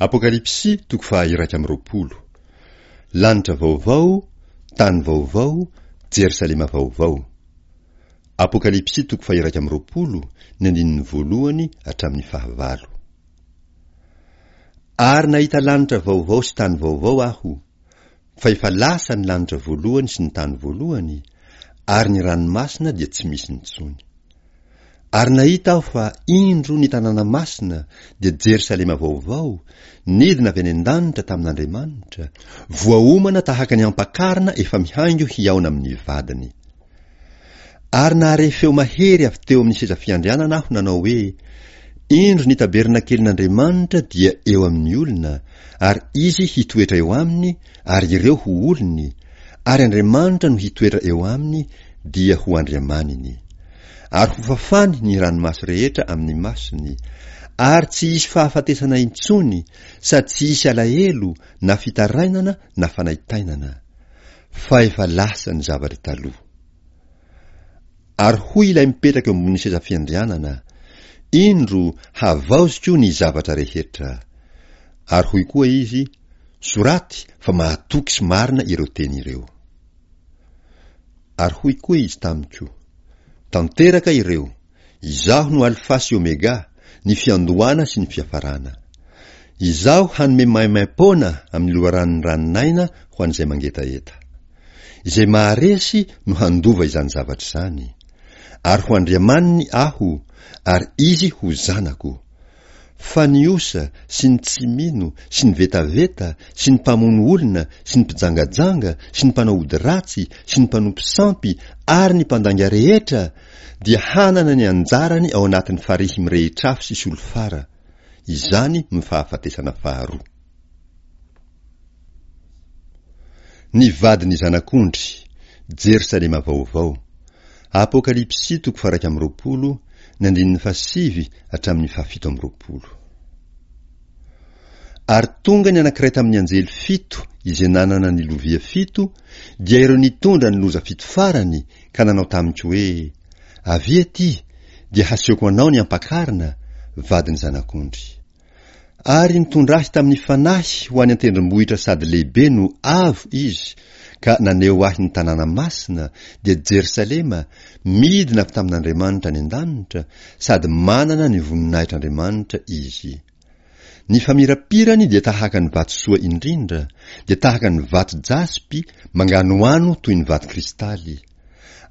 Apokalypsy toko faha-21. Lanitra vaovao, tany vaovao, Jerosalema vaovao. Apokalypsy toko faha-21, ny andininy voalohany hatramin'ny fahavalo. Ary nahita lanitra vaovao sy tany vaovao aho, fa efa lasa ny lanitra voalohany sy ny tany voalohany, ary ny ranomasina dia tsy misy intsony. Ary nahita aho fa indro ny tanàna masina, dia Jerosalema vaovao, nidina avy any an-danitra tamin'Andriamanitra, voaomana tahaka ny ampakarina efa mihaingo hihaona amin'ny vadiny. Ary nahare feo mahery avy teo amin'ny seza fiandrianana aho nanao hoe, Indro ny tabernakelin'Andriamanitra dia eo amin'ny olona, ary Izy hitoetra eo aminy, ary ireo ho olony, ary Andriamanitra no hitoetra eo aminy, dia ho Andriamaniny. Ary hofafany ny ranomaso rehetra amin'ny masony, ary tsy hisy fahafatesana intsony, sady tsy hisy alahelo na fitarainana na fanaintainana, fa efa lasa ny zavatra taloha. Ary hoy ilay mipetraka eo ambonin'ny seza fiandrianana, Indro, havaoziko ny zavatra rehetra. Ary hoy koa izy, Soraty fa mahatoky sy marina ireo teny ireo. Ary hoy koa izy tamiko, Tanteraka ireo, Izaho no Alfa sy Omega, ny fiandohana sy ny fiafarana. Izaho hanome maimaim-poana amin'ny loharanon'ny ranon'aina ho an'izay mangetaheta. Izay maharesy no handova izany zavatra izany. Ary ho Andriamaniny Aho, ary izy ho zanako. Fa ny osa sy ny tsy mino sy ny vetaveta sy ny mpamono olona sy ny mpijangajanga sy ny mpanao ody ratsy sy ny mpanompo sampy ary ny mpandainga rehetra dia hanana ny anjarany ao anatin'ny farihy mirehitr'afo sy solifara. Izany no fahafatesana faharoa. Ny vadin'ny Zanak'ondry, Jerosalema Vaovao, Apokalypsy toko faha-21, ny andininy fahasivy hatramin'ny fahafito amby roapolo. Ary tonga ny anankiray tamin'ny anjely fito izay nanana ny lovia fito, dia ireo nitondra ny loza fito farany, ka nanao tamiko hoe, Avia aty, dia hasehoko anao ny ampakarina, vadin'ny Zanak'ondry. Ary nitondra ahy tamin'ny fanahy ho any an-tendrombohitra sady lehibe no avo izy, ka naneho ahy ny tanàna masina, dia Jerosalema, midina avy tamin'Andriamanitra any an-danitra, sady manana ny voninahitr'Andriamanitra izy. Ny famirapirany dia tahaka ny vatosoa indrindra, dia tahaka ny vato jaspy, manganohano toy ny vato kristaly.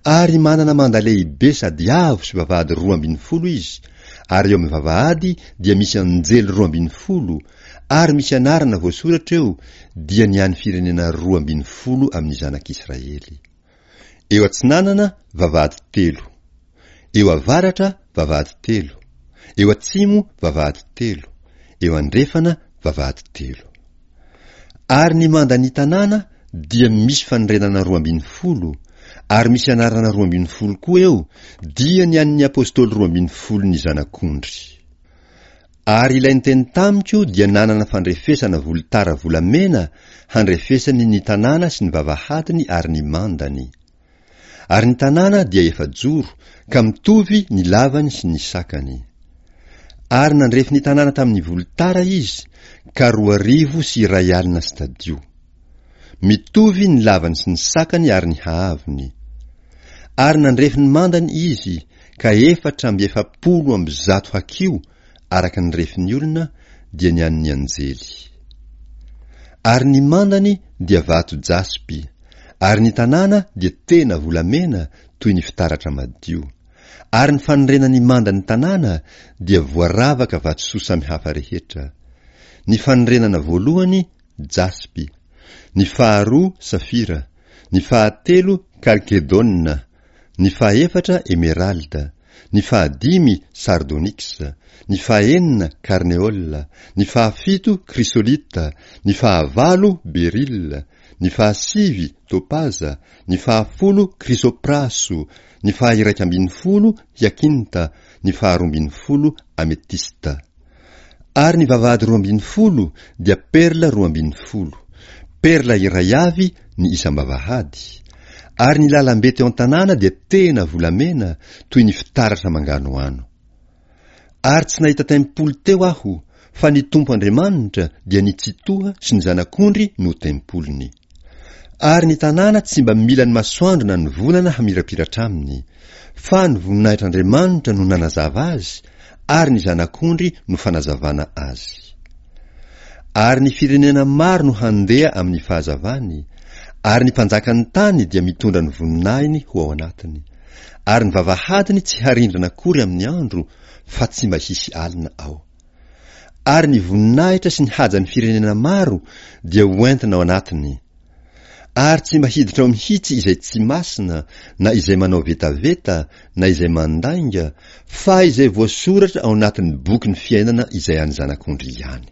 Ary manana manda lehibe sady avo sy vavahady 12 izy, ary eo amin'ny vavahady dia misy anjely 12, ary misy anarana voasoratra eo, dia ny an'ny firenena 12 amin'ny zanak'Israely. Eo atsinanana vavahady telo, eo avaratra vavahady telo, eo atsimo vavahady telo, eo andrefana vavahady telo. Ary ny mandan'ny tanàna dia misy fanorenana 12, ary misy anarana 12 koa eo, dia ny an'ny apostoly 12-n'ny Zanak'ondry. Ary ilay niteny tamiko dia nanana fandrefesana volotara volamena handrefesany ny tanàna sy ny vavahadiny ary ny mandany. Ary ny tanàna dia efa-joro, ka mitovy ny lavany sy ny sakany. Ary nandrefy ny tanàna tamin'ny volotara izy, ka 1200 stadio. Mitovy ny lavany sy ny sakany ary ny haavony. Ary nandrefy ny mandany izy, ka 144 hakiho araka ny refin'ny olona, dia ny an'ny anjely. Ary ny mandany dia vato jaspy, ary ny tanàna dia tena volamena toy ny fitaratra madio. Ary ny fanorenan'ny mandan'ny tanàna dia voaravaka vatosoa samihafa rehetra. Ny fanorenana voalohany jaspy, ny faharoa safira, ny fahatelo kalkedôna, ny fahaefatra emeralda, ny fahadimy sardôniksa, ny fahenina karneôla, ny fahafito krisolita, ny fahavalo berila, ny fahasivy topaza, ny fahafolo krisopraso, ny faha-iraika ambin'ny folo hiakinta, ny faharoa ambin'ny folo ametista. Ary ny vavahady 12 dia perla 12, perla iray avy ny isam-bavahady, ary ny lalambe teo an-tanàna dia tena volamena toy ny fitaratra manganohano. Ary tsy nahita tempoly teo aho, Fa ny Tompo Andriamanitra dia ny Tsitoha sy ny Zanak'ondry no tempoliny. Ary ny tanàna tsy mba mila ny masoandro na ny volana hamirapiratra aminy, fa ny voninahitr'Andriamanitra no nanazava azy, ary ny Zanak'ondry no fanazavana azy. Ary ny firenena maro no handeha amin'ny fahazavany, ary ny mpanjakan'ny tany dia mitondra ny voninahiny ho ao anatiny. Ary ny vavahadiny tsy harindrana akory amin'ny andro, fa tsy mba hisy alina ao. Ary ny voninahitra sy ny hajan'ny firenena maro dia ho entina ao anatiny. Ary tsy mba hiditra ao mihitsy izay tsy masina, na izay manao vetaveta, na izay mandainga, fa izay voasoratra ao anatin'ny bokin'ny fiainana izay an'ny Zanak'ondry ihany.